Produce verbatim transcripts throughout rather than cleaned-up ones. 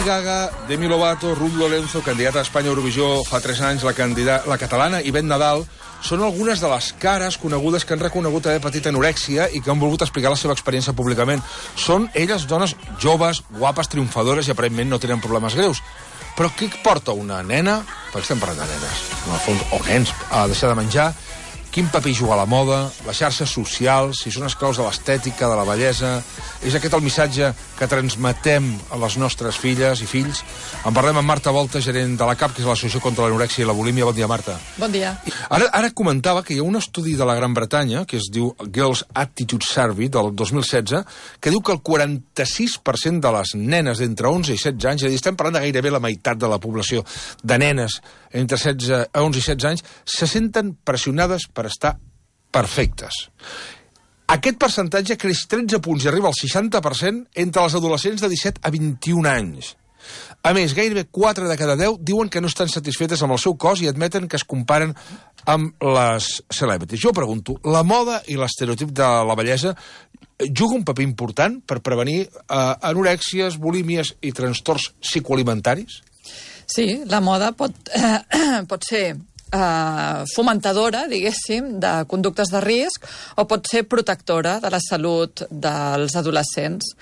Gaga, Demi Lovato, Ruth Lorenzo, candidata a Espanya a Eurovisió fa tres anys, la, candidata, la catalana Ivette Nadal, són algunes de les cares conegudes que han reconegut haver patit anorèxia i que han volgut explicar la seva experiència públicament. Són elles dones joves, guapes, triomfadores i aparentment no tenen problemes greus. Però què porta una nena, perquè estem parlant de nenes, en el fons, o nens, a deixar de menjar? Quin paper hi juga la moda, les xarxes socials, si són esclaus de l'estètica, de la bellesa? És aquest el missatge que transmetem a les nostres filles i fills? En parlem amb Marta Volta, gerent de la C A P, que és l'Associació contra l'Anorèxia i la Bulímia. Bon dia, Marta. Bon dia. Ara, ara comentava que hi ha un estudi de la Gran Bretanya, que es diu Girls' Attitude Survey, del dos mil setze, que diu que el quaranta-sis per cent de les nenes d'entre onze i setze anys, és a dir, estem parlant de gairebé la meitat de la població de nenes entre setze, onze i setze anys, se senten pressionades per estar perfectes. Aquest percentatge creix tretze punts i arriba al seixanta per cent entre els adolescents de disset a vint-i-un anys. A més, gairebé quatre de cada deu diuen que no estan satisfetes amb el seu cos i admeten que es comparen amb les celebrities. Jo pregunto, la moda i l'estereotip de la bellesa juga un paper important per prevenir eh, anorèxies, bulímies i trastorns psicoalimentaris? Sí, la moda pot, eh, pot ser eh, fomentadora, diguéssim, de conductes de risc o pot ser protectora de la salut dels adolescents.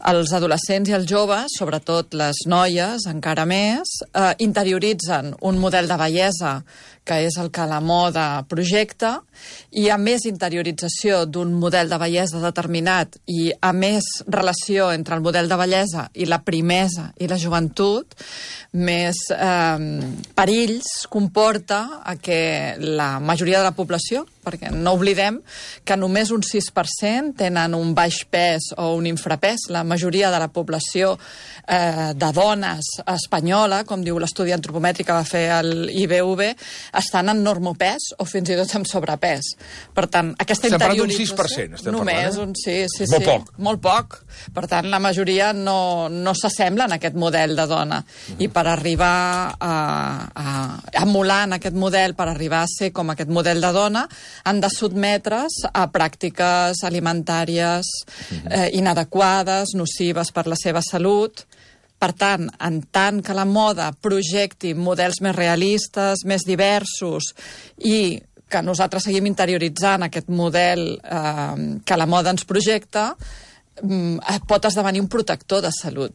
Els adolescents i els joves, sobretot les noies, encara més, eh, interioritzen un model de bellesa que és el que la moda projecta, i a més interiorització d'un model de bellesa determinat i a més relació entre el model de bellesa i la primesa i la joventut, més eh, perills comporta a que la majoria de la població, perquè no oblidem que només un sis per cent tenen un baix pes o un infrapès. La majoria de la població eh, de dones espanyola, com diu l'estudi antropomètric que va fer el I B V, estan en normopès o fins i tot en sobrepès. Per tant, aquesta estem interiorització... Estem parlant d'un sis per cent, només parlant, eh? un sí, sí, molt sí. Poc. Molt poc. Per tant, la majoria no, no s'assemblen a aquest model de dona. Mm. I per arribar a, a, a emular en aquest model, per arribar a ser com aquest model de dona, han de sotmetre's a pràctiques alimentàries eh, inadequades, nocives per la seva salut. Per tant, en tant que la moda projecti models més realistes, més diversos, i que nosaltres seguim interioritzant aquest model eh, que la moda ens projecta, eh, pot esdevenir un protector de salut.